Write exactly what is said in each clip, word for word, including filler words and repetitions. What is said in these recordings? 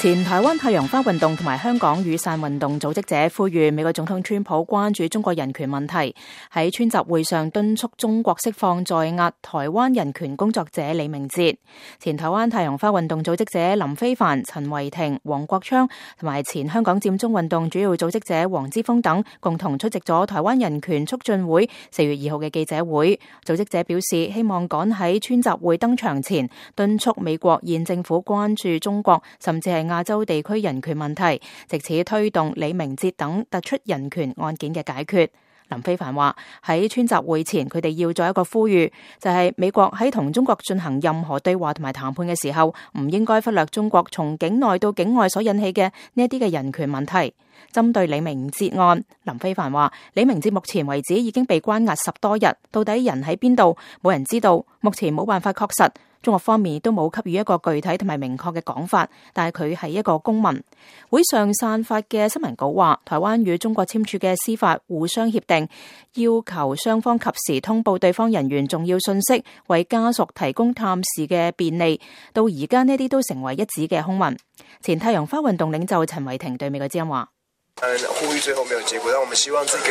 前台灣太陽花運動同埋香港雨傘運動組織者呼籲美國總統川普關注中國人權問題，喺川集會上敦促中國釋放在押台灣人權工作者李明哲。前台灣太陽花運動組織者林飛帆、陳維廷、黃國昌同埋前香港佔中運動主要組織者黃之鋒等共同出席咗台灣人權促進會四月二號嘅記者會。組織者表示，希望趕喺川集會登場前敦促美國現政府關注中國甚至係亞洲地區人權問題，藉此推動李明哲等突出人權案件嘅解決。林飛帆話，喺川集會前，佢哋要做一個呼籲，就係、是、美國喺同中國進行任何對話同埋談判嘅時候，唔應該忽略中國從境內到境外所引起嘅呢一啲嘅人權問題。針對李明哲案，林飛帆話，李明哲目前為止已經被關押十多日，到底人喺邊度，冇人知道，目前冇辦法確實。中國方面都冇給予一個具體同埋明確嘅講法，但係佢係一個公民。會上散發嘅新聞稿話，台灣與中國簽署嘅司法互相協定，要求雙方及時通報對方人員重要信息，為家屬提供探視嘅便利。到而家呢啲都成為一紙嘅空文。前太陽花運動領袖陳維廷對美國之音話：呼籲最後沒有結果，但我們希望這個，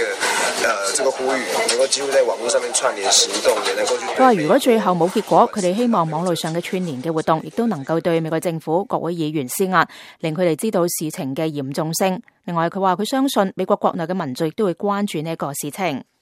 呃，這個呼籲能夠幾乎在網絡上面串聯行動，也能夠去。佢話如果最後冇結果，佢哋希望網絡上嘅串聯嘅活動，亦都能夠對美國政府、國會議員施壓，令佢哋知道事情嘅嚴重性。另外，佢話佢相信美國國內嘅民眾亦都會關注呢一個事情。